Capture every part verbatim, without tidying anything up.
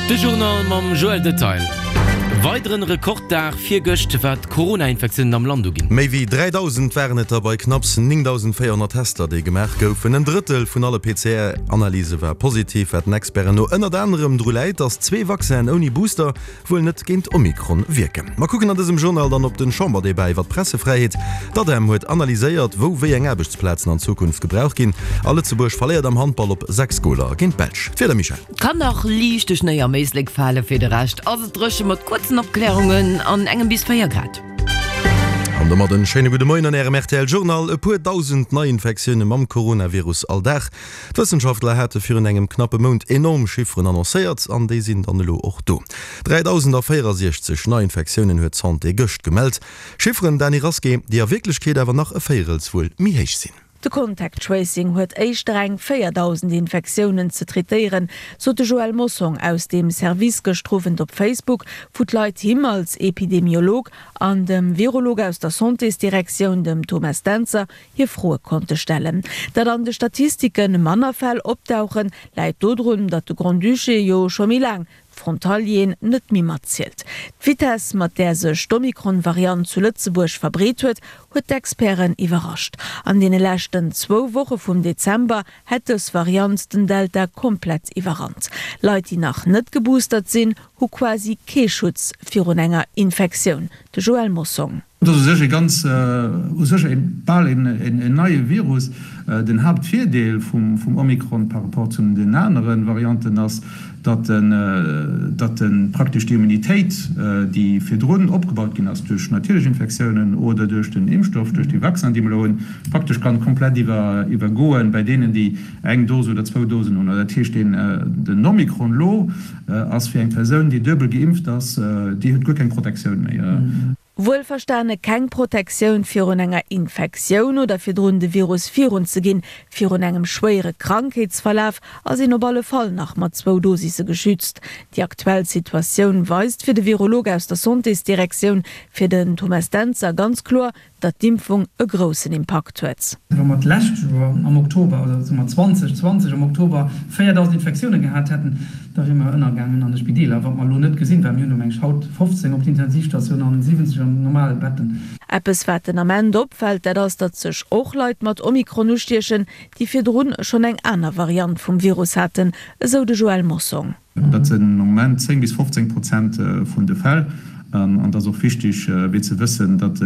De Journal mam Joël Detail. Weideren Rekorddag virgëscht wat d'Corona-Infektiounen am Land uginn. Méi wéi dräidausend waren et der bei knapps néngdausendvéierhonnert Tester, déi gemaach goufen. En Drëttel vun alle P C R-Analyse war positiv, wat den Experten no ënnert anerem dru läit, datt zwee Vaccinen ouni Booster wuel net géint Omikron wierken. Mer kucken an dësem Journal dann op den Chamberdebat iwwer d'Pressefräiheet. D'ADEM huet analyséiert, wou wéi eng Aarbechtsplazen an Zukunft gebraucht ginn. A Lëtzebuerg verléiert am Handball op sechs Goler géint d'Belsch. D'Wieder, Michèle. Kann nach liichte Schnéi am Éislek fale, fir de Rescht ass et dréche mat kuerzen Opkläerungen an engem bis véier Grad. An domat en schéine gudde Moien an Ärem R T L Journal. E puer dausend Neiinfektioune mam Coronavirus all Dag. D'Wëssenschaftler hate virun engem knappe Mount enorm Chifferen annoncéiert an déi sinn dann elo och do. dräidausendvéierensechzeg Neiinfektiounen huet d'Santé gëscht gemellt. Chifferen, Dany Rasqué, déi a Wierklechkeet awer nach e Véierels wuel méi héich sinn. De Contact Tracing huet éischter eng véierdausend Infektiounen ze traitéieren, sot de Joël Mossong aus deem Service gëschter Owend op Facebook, wou d'Leit him als Epidemiolog an dem Virolog aus der Santésdirektioun, dem Thomas Dentzer, hir Froe konnte stellen. Datt an de Statistike manner Fäll opdauchen, läit dodrun, datt de Grand-Duché jo scho méi laang d'Frontalieren net méi matzielt. D'Vitess, mat där sech d'Omikron-Variant zu Lëtzebuerg verbreet huet, huet d'Experten iwwerrascht. An deene leschten zwou Woche vum Dezember hätt dës Variant den Delta komplett iwwerrannt. Leit, déi nach net geboostert sinn, hu quasi kee Schutz virun enger Infektioun. De Joël Mossong. Dat ass u sech e ganz, u sech e bal en neie Virus. Den Haaptvirdeel vum Omikron par rapport zu den anere Varianten ass, datt en, datt en praktesch déi Immunitéit, déi virdrun opgebaut ginn ass duerch natierlech Infektiounen oder duerch den Impfstoff, duerch déi Vaccin, déi mer elo hunn, praktesch kann komplett iwwer, iwwergoen bei deenen, déi eng Dose oder zwou Dosen hunn. Dat heescht, deen, den Omikron elo ass fir eng Persoun, déi duebel geimpft ass, déi huet guer keng Protektioun méi. Wuelverstane keng Protektioun virun enger Infektioun oder virdrun de Virus virunzeginn, virun engem schwéiere Krankheetsverlaf ass een op alle Fall nach mat zwou Dosisse geschützt. Déi aktuell Situatioun weist fir de Virolog aus der Santésdirektioun, fir den Thomas Dentzer, ganz kloer, datt d'Impfung e groussen Impakt huet. Wa mer d'lescht Joer am Oktober, oder soe mer zweedausendzwanzeg am Oktober, véierdausend Infektiounen gehat hätten, da wiere mer ënnergaangen an de Spideeler, wat mer elo net gesinn, well mir hunn elo, meng ech, haut fofzéng op d'Intensivstatioun an siwwenzeg an normale Betten. Eppes wat den Ament opfält, dat ass, datt sech och Leit mat Omikron ustiechen, déi virdrun schonn eng aner Variant vum Virus haten, esou de Joël Mossong. Dat sinn am Moment zéng bis fofzéng Prozent vun de Fäll. An et ass och wichteg fir ze wëssen, datt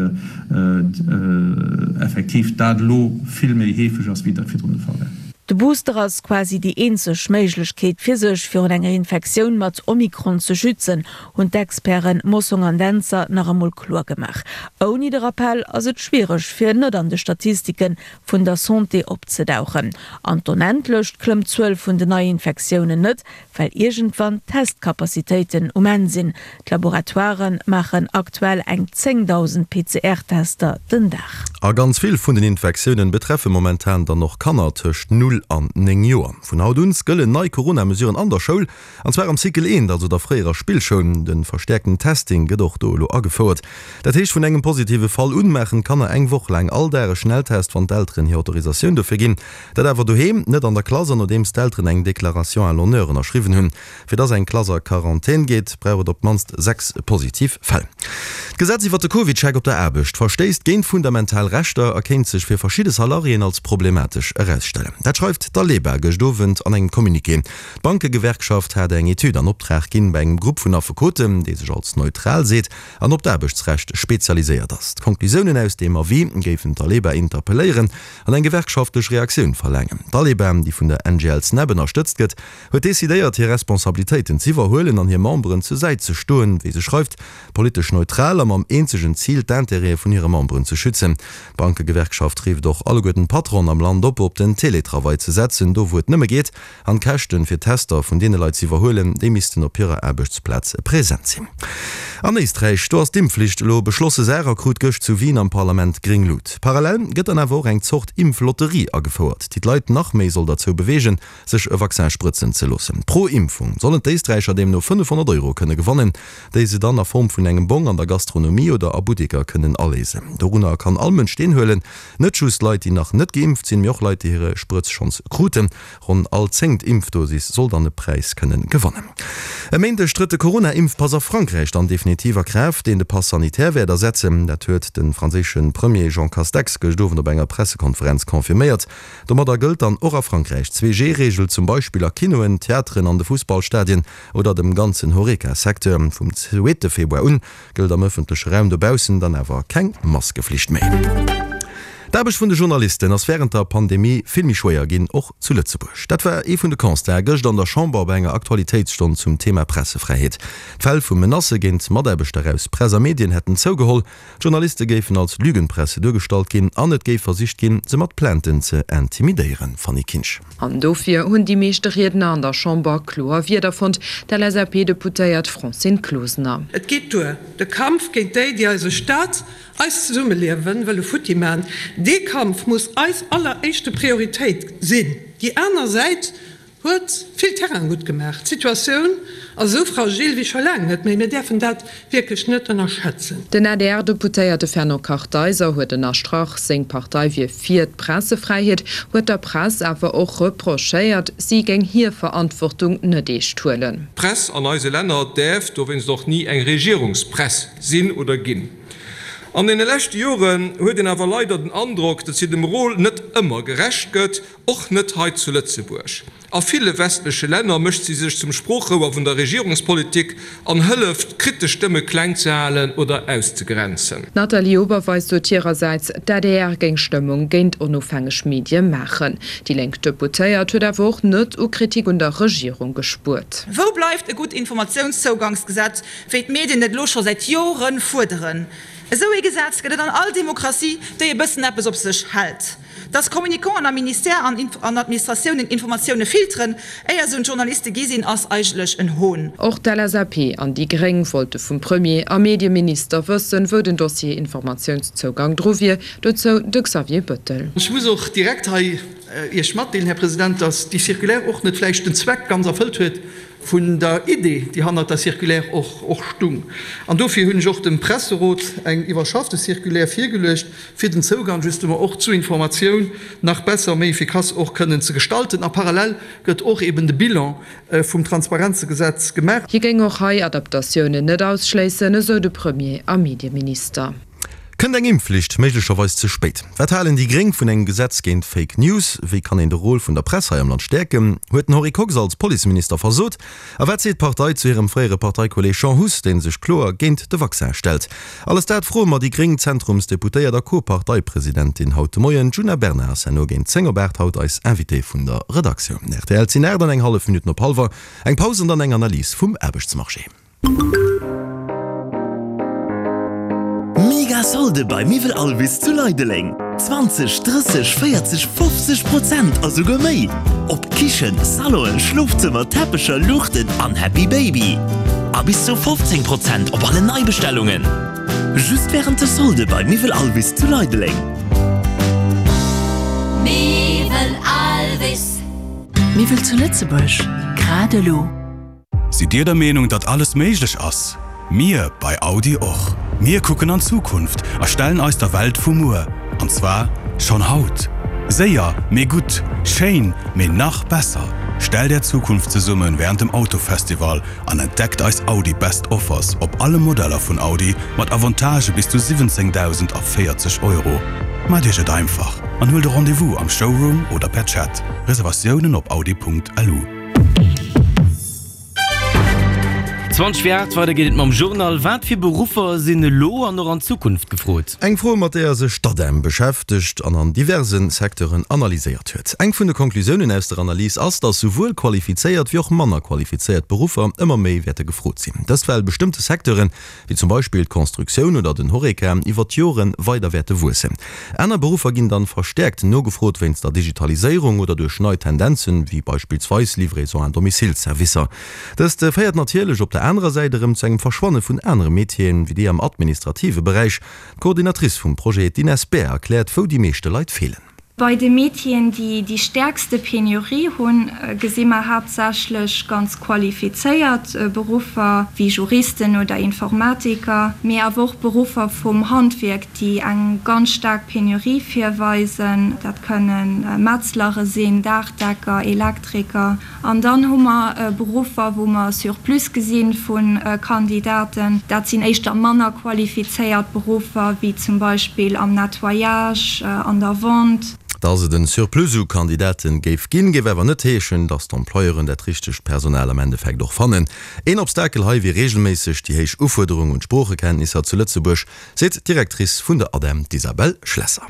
effektiv dat elo vill méi heefeg ass, wéi dat virdrun de Fall war. De Booster ass quasi déi eenzeg Méiglechkeet fir sech virun enger Infektioun mat Omikron ze schützen, hunn d'Experten Mossong an Dentzer nach emol kloer gemaach. Ouni de Rappell ass et schwiereg fir net an de Statistike vun der Santé opzedauchen. An d'Onendlecht klëmmt d'Zuel vun den Neiinfektiounen net, well iergendwann d'Testkapazitéiten um Enn sinn. D'Laboratoiren maachen aktuell eng zéngdausend P C R-Tester den Dag. A ganz vill vun den Infektiounen betreffe momentan dann och Kanner tëscht null an néng Joer. Vun haut un gëllen nei Corona-Mesuren an der Schoul, an zwar am Cycle eent, also der fréierer Spillschoul. De verstäerkten Testing gëtt och do elo agefouert. Dat heescht, vun engem positive Fall un maachen d'Kanner eng Woch laang all Dag e Schnelltest, wann d'Elteren hir Autorisatioun dofir ginn. Dat awer doheem, net an der Klass an nodeems d'Elteren eng Déclaration à l'honneur ënnerschriwwen hunn. Fir dass eng Klass a Quarantän geet, brauch et op d'mannst sechs positiv Fäll. D'Gesetz iwwer de CovidCheck op der Aarbecht verstéisst géint fundamental Rechter a kéint sech fir verschidde Salariéen als problematesch erausstellen. Dat schreift d'Aleba gëscht Owend an engem Communiqué. D'Bankegewerkschaft hat eng Etüd an Optrag ginn bei engem Grupp vun Affekoten, dee sech als neutral seet an op d'Aarbechtsrecht spezialiséiert ass. D'Konklusiounen aus deem Avis géifen d'Aleba interpelléieren an eng gewerkschaftlech Reaktioun verlaangen. D'Aleba, déi vun der N G L Snep ënnerstëtzt gëtt, huet decidéiert, hir Responsabilitéiten z'iwwerhuelen an hir Memberen zur Säit ze stoen, wéi se schreift, politesch neutral a mam eenzegen Zil, d'Intérêtë vun hire Memberen ze schützen. D'Bankegewerkschaft rifft och alleguerten d'Patronen am Land op, op den Teletravail ze setzen, do wou et nëmme geet, an d'Käschten fir Tester vun deene Leit z'iwwerhuelen, déi missten op hirer Aarbechtsplaz present sinn. An Éisträich, do ass d'Impfflicht elo beschlosse Saach a krut gëscht zu Wien am Parlament gréng Luucht. Parallel gëtt dann awer och eng Zort Impflotterie agefouert, déi d'Leit nach méi soll derzou beweegen, sech e Vaccin sprëtzen ze loossen. Pro Impfung sollen d'Éisträicher deemno fënnefhonnert Euro kënne gewannen, déi se dann a Form vun engem Bong an der Gastronomie oder a Butteker kënnen aléisen. Dorunner kann all Mënsch deelhuelen, net just Leit, déi nach net geimpft sinn, mee och Leit, déi hir Sprëtz schonns kruten. Ronn all zéngt Impfdosis soll dann e Präis kënne gewannen. E Méindeg trëtt de Corona-Impfpass a Frankräich dann definitiv a Kraaft, deen de Pass sanitaire wäert ersetzen. Dat huet de franséische Premier Jean Castex gëscht Owend op enger Pressekonferenz confirméiert. Domadder gëllt dann och a Frankräich d'Zwee-G-Reegel, zum Beispill a Kinoen, Theateren, an de Fussballstadien oder dem ganzen Horeca-Secteur. Vum zweete Februar un gëllt am ëffentleche Raum dobaussen dann awer keng Maskeflicht méi. D'Aarbecht vun de Journalisten ass wärend der Pandemie vill méi schwéier ginn, och zu Lëtzebuerg. Dat war ee vun de Constaten gëscht an der Chamber bei enger Aktualitéitsstonn zum Thema Pressefräiheet. D'Fäll vu Menacë géint Mataarbechter aus Press a Medien hätten zougeholl, d'Journaliste géifen als Lügenpresse duergestallt ginn an et géif versicht ginn, se mat Plainten ze intimidéieren. Fanny Kinsch. An dofir hunn déi meeschte Riedner an der Chamber kloer Wierder fonnt, d'LSAP-Deputéiert Francine Closener. Et geet duer! De Kampf géint déi, déi eise Staat, eist Zesummeliewe wëlle futti man, dee Kampf muss eis alleréischte Prioritéit sinn. Déi aner Säit huet vill Terrain gutt gemaach. D'Situatioun ass esou fragil wéi scho laang net méi. Mir däerfen dat wierklech net ënnerschätzen. Den A D R-Deputéierte Fernand Kartheiser huet ënnerstrach, seng Partei wier fir d'Pressefräiheet, huet der Press awer och reprochéiert, si géing hir Verantwortung net eescht huelen. D'Press an eise Länner däerf dowéinst och ni eng Regierungspress sinn oder ginn. An deene leschte Joren huet een awer leider den Androck, datt si dem Rôle net ëmmer gerecht gëtt, och net hei zu Lëtzebuerg. A ville westleche Länner mécht si sech zum Sproochrouer vun der Regierungspolitik an hëlleft, kritesch Stëmme kleng ze halen oder auszegrenzen. D'Nathalie Oberweis sot hirersäits, d'A D R géing Stëmmung géint onofhängeg Medie maachen. Déi lénk Deputéiert huet awer och net u Kritik un der Regierung gespuert. Wou bleift e gutt Informatiounszougangsgesetz, wéi d'Medien et elo scho säit Jore fuerderen? Esou ee Gesetz gëtt et an all Demokratie, déi e bëssen eppes op sech hält. Dass Communicanten am Ministère an an Administratiounen Informatioune filteren, éier se un d'Journaliste gi sinn, ass eigentlech en Hohn. Och d'L S A P an déi Gréng wollte vum Premier a Medieminister wëssen, wou den Dossier Informatiounszougang dru wier. Dozou de Xavier Bettel. Ech muss och direkt hei Iech matdeelen, Här President, dass déi Circulaire och net vläicht den Zweck ganz erfëllt huet vun der Idee, déi hannert der Circulaire och stung. An dofir hunn ech och dem Presserot eng iwwerschaffte Circulaire virgeluecht, fir den Zougang justement och zu Informatioun nach besser, méi efficace och kënnen ze gestalten. A parallel gëtt och eben de Bilan vum Transparenzegesetz gemaach. Hie géing och hei Adaptatiounen net ausschléissen, esou de Premier a Medieminister. Kënnt eng Impfflicht méiglecherweis ze spéit? Wat halen déi Gréng vun engem Gesetz géint Fake News? Wéi kann een de Rôle vun der Press hei am Land stäerken? Huet den Henri Kox als Policeminister versot? A wat seet d'Partei zu hirem fréiere Parteikolleeg Jean Huss, dee sech kloer géint de Vaccin stellt? Alles dat froe mer déi gréng Zentrumsdeputéiert a Co-Parteipresidentin haut de Moien. D'Djuna Bernard ass herno géint zéng op aacht haut eis Invitée vun der Redaktioun. Rtl, Et sinn aacht an eng hallef Minutten op hallwer. Eng Paus an dann eng Analys vum Aarbechtsmarché. Mega Solde bei Miwwel Alvis zu Leideleng! zwanzeg, drësseg, véierzeg, fofzeg Prozent a souguer méi op Kichen, Salonen, Schlofzëmmer, Teppecher, Luuchten an Happy Baby. A bis zu fofzéng Prozent op alle Neibestellungen. Just wärend de Solde bei Miwwel Alvis zu Leideleng. Miwwel Alvis. Miwwel zu Lëtzebuerg, grad elo. Sidd Dir der Meenung, datt alles méiglech ass? Mir bei Audi och. Mir kucken an d'Zukunft a stellen eis der Welt vu muer. An zwar schonn haut. Séier, mee gutt, schéin, mee nach besser. Stellt Är Zukunft zesummen wärend dem Autofestival an entdeckt eis Audi Best Offers op alle Modeller vun Audi mat Avantagë bis zu siwwenzéngdausendvéierzeg Euro. Maacht Iech et einfach an huelt e Rendez-vous am Showroom oder per Chat. Reservatiounen op audi Punkt L U. Zwanzeg vir aacht, weider geet et mam Journal. Wat fir Beruffer sinn elo an och an Zukunft gefrot? Eng Fro, mat deeër sech d'ADEM beschäftegt an an diverse Secteuren analyséiert huet. Eng vun de Conclusiounen aus der Analys ass, datt souwuel qualifizéiert wéi och manner qualifizéiert Beruffer ëmmer méi wäerte gefrot sinn. Dëst well bestëmmte Secteuren, wéi zum Beispill d'Constructioun oder den Horeca, iwwer d'Jore weider wäerte wuessen. Aner Beruffer ginn dann verstäerkt nogefrot wéinst der Digitaliséierung oder duerch nei Tendenzen, wéi beispillsweis Livraison à domicile-Servicer. Dëst féiert natierlech op der anerer Säit erëm zu engem Verschwanne vun anere Métieren, wéi déi am administrative Beräich. D'Coordinatrice vum Projet, d'Ines Baer, erkläert, wou déi meeschte Leit feelen. Bei de Métieren, déi déi stäerkste Penurie hunn, gesi mer haaptsächlech ganz qualifizéiert Beruffer, wéi Juristen oder Informatiker, mee awer och Beruffer vum Handwierk, déi eng ganz staark Penurie virweisen. Dat kënne Metzlere sinn, Daachdecker, Elektriker. An dann hu mer Beruffer, wou mer e Surplus gesi vu Kandidaten. Dat sinn éischter manner qualifizéiert Beruffer, wéi zum Beispill am Nettoyage, an der Vente. Dass et en Surplus u Kandidaten géif ginn, géif awer net heeschen, dass d'Employeuren dat richtegt Personal am Endeffekt och fannen. Een Obstakel hei wier reegelméisseg déi héich Ufuerderung un d'Sproochekenntnisser zu Lëtzebuerg, seet d'Directrice vun der ADEM, d'Isabelle Schlesser.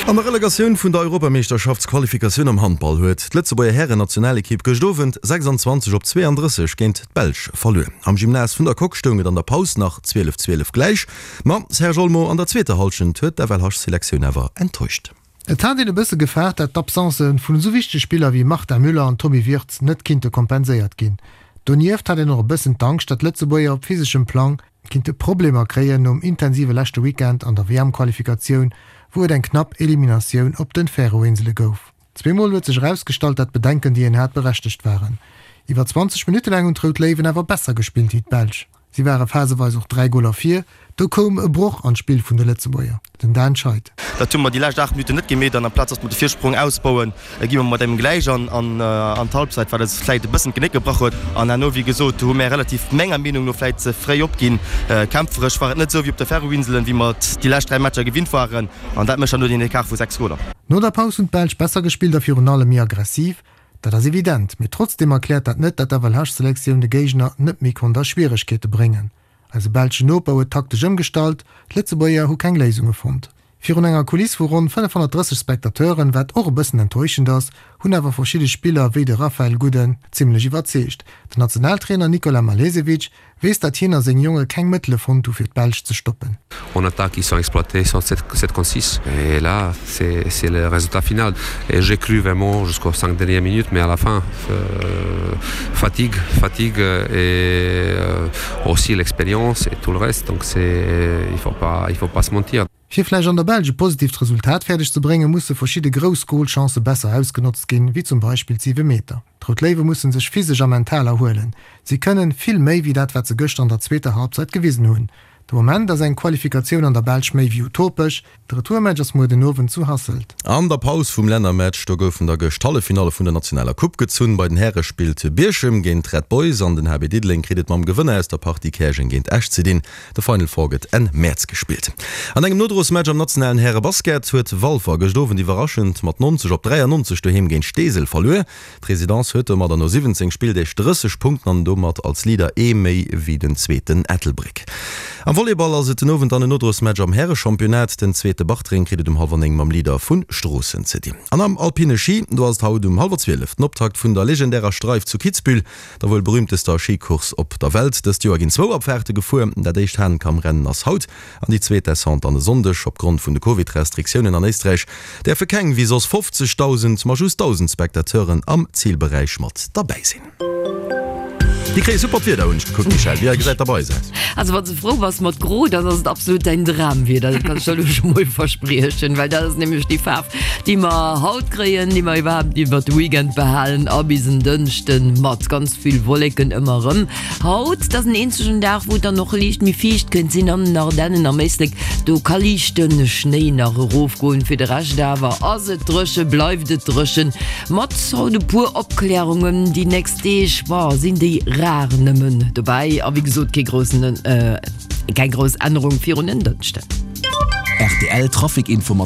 An der Relegatioun vun der Europameeschterschaftsqualifikatioun am Handball huet d'Lëtzebuerger Hären-Nationalekipp gëscht Owend sechsandzwanzeg op zweeandrësseg géint d'Belsch verluer. Am Gymnase vun der Coque stoung et an der Paus nach zwielef zwielef gläich, ma Serge Olmo, an der zweeter Hallschent huet d'FLH-Selektioun awer enttäuscht. Et hat een e bësse gefaart, dat d'Absencë vun esou wichtege Spiller wéi Martin Müller an Tommy Wirtz net kinnte kompenséiert ginn. Donieft hat een och e bëssen d'Angscht, dat d'Lëtzebuerger op physeschem Plang kinnte Problemer kréien nom intensive leschte Weekend an der W M-Qualifikatioun, wou et eng knapp Eliminatioun op den Färöerinsele gouf. Zweemol huet sech erausgestallt, dat d'Bedenken, déi een hat, berechtegt waren. Iwwer zwanzeg Minutte laang hunn d'Rout Léiwen awer besser gespillt wéi d'Belsch. Si ware phaseweis och dräi Goler vir. Do koum e Broch an d'Spill vun de Lëtzebuerger, den Dan Scheid. Dat hu mer déi lescht aacht Minutten net gemeet an amplaz datt mer de Virsprong ausbauen, gi mer mat engem gläich an an d'Halbzeit, wat eis vläit e bëssen d'Genéck gebrach huet. An herno, wéi gesot, hu mär relativ, menger Meenung no, vläit ze fréi opginn. Kämpferesch war et net esou wéi op de Färöerinselen, wéi mer et déi lescht dräi Matcher gewinnt waren an dat mécht dann elo deen Ecart vu sechs Goler. No der Paus hunn d'Belsch besser gespillt a virun allem méi aggressiv. Dat ass evident, mee trotzdeem erkläert dat net, dat d'F L H-Selektioun de Géigner net méi konnt a Schwieregkeete bréngen. Eise belschen Noper huet taktesch ëmgestallt, d'Lëtzebuerger hu keng Léisunge fonnt. Virun enger Kuliss vu ronn fënnefhonnertdrësseg Spectateuren, wat och e bëssen enttäuschend ass, hunn awer verschidde Spiller wéi de Raphael Guden zimmlech iwwerzeegt. Den Nationaltrainer Nikola Malesevic weess, dat hien a seng Jonge keng Mëttele fonnt hu fir d'Belsch ze stoppen. En attaque, ils sont exploités sur sept contre six. Et là, c'est c'est le résultat final. Et j'ai cru vraiment jusqu'aux cinq dernières minutes, mais à la fin, euh, fatigue, fatigue et euh, aussi l'expérience et tout le reste. Donc c'est, il faut pas, il faut pas se mentir. Fir vläicht an der Belsch e positiivt Resultat fäerdeg ze bréngen, musse verschidde grouss Golchancë besser ausgenotzt ginn, wéi zum Beispill d'Siwemeter. D'Rout Léiwe musse sech physesch a mental erhuelen. Si kënnen vill méi wéi dat, wat se gëschter an der zweeter Halbzeit gewisen hunn. De Moment ass eng Qualifikatioun an der Belsch méi wéi utopesch. De Retourmatch ass muer den Owend zu Hasselt. An der Paus vum Lännermatch, do goufen da gëscht d'Halleffinalle vun der nationaler Coupe gezunn. Bei den Häre spillt Bierchem géint Red Boys an den H B Diddeleng kritt et mam Gewënner aus der Partie Käerjeng géint Esch ze dinn. De Final Four gëtt Enn Mäerz gespillt. An engem Nodrosmatch am nationalen Härebasket huet Walfer gëscht Owend iwwerraschend mat neunzeg op dräiannonzeg doheem géint Steesel verluer. D'Residence huet domadder no siwwenzéng Spilldeeg drësseg Punkten an domat als Leader ee méi wéi den Zweeten Ettelbréck. Am Volleyball ass et den Owend dann en Nodrosmatch am Härechampionnat. Den Zweete Bartreng kritt et um hallwer néng mam Leader vu Stroossen ze dinn. An am alpine Schi, do ass et haut um hallwer zwielef den Optakt vun der legendärer Streif zu Kitzbühel, der wuel berüümtester Schicourse op der Welt. Dëst Joer ginn zwou Abfaarte gefuer. Dat éischt Hahnenkammrennen ass haut an déi zweet Descente dann e Sonndeg. Opgrond vun de Covid-Restriktiounen an Éisträich däerfe keng wéi soss fofzegdausend, ma just dausend Spectateuren am Zilberäich mat derbäi sinn. Déi kréie super d'Wieder, hunn ech gekuckt, Michèle. Wéi gesäit der bei eis aus? Also wann s de frou bass mat gro, dann ass et absolut däin Dramwieder, dat kann ech der elo scho mol verspriechen, well dat ass nämlech déi Faarf, déi mer haut kréien, déi mer iwwerhaapt iwwer de Weekend behalen a bis en Dënschden, mat ganz vill Wolleken ëmmer erëm. Haut, dat ass en eenzegen Dag, wou et dann och liicht méi fiicht kënnt sinn an den Ardennen, am Éislek, do ka liichte Schnéi nach erofgoen. Fir de Rescht awer ass et dréche, bleift et dréchen, mat haut e puer Opklärungen. Déi nächst Deeg, boah, sinn déi rar nëmmen dobäi a wéi gesot kee groussen, keng grouss Ännerung virun en Dënschden. R T L Trafic Info mat.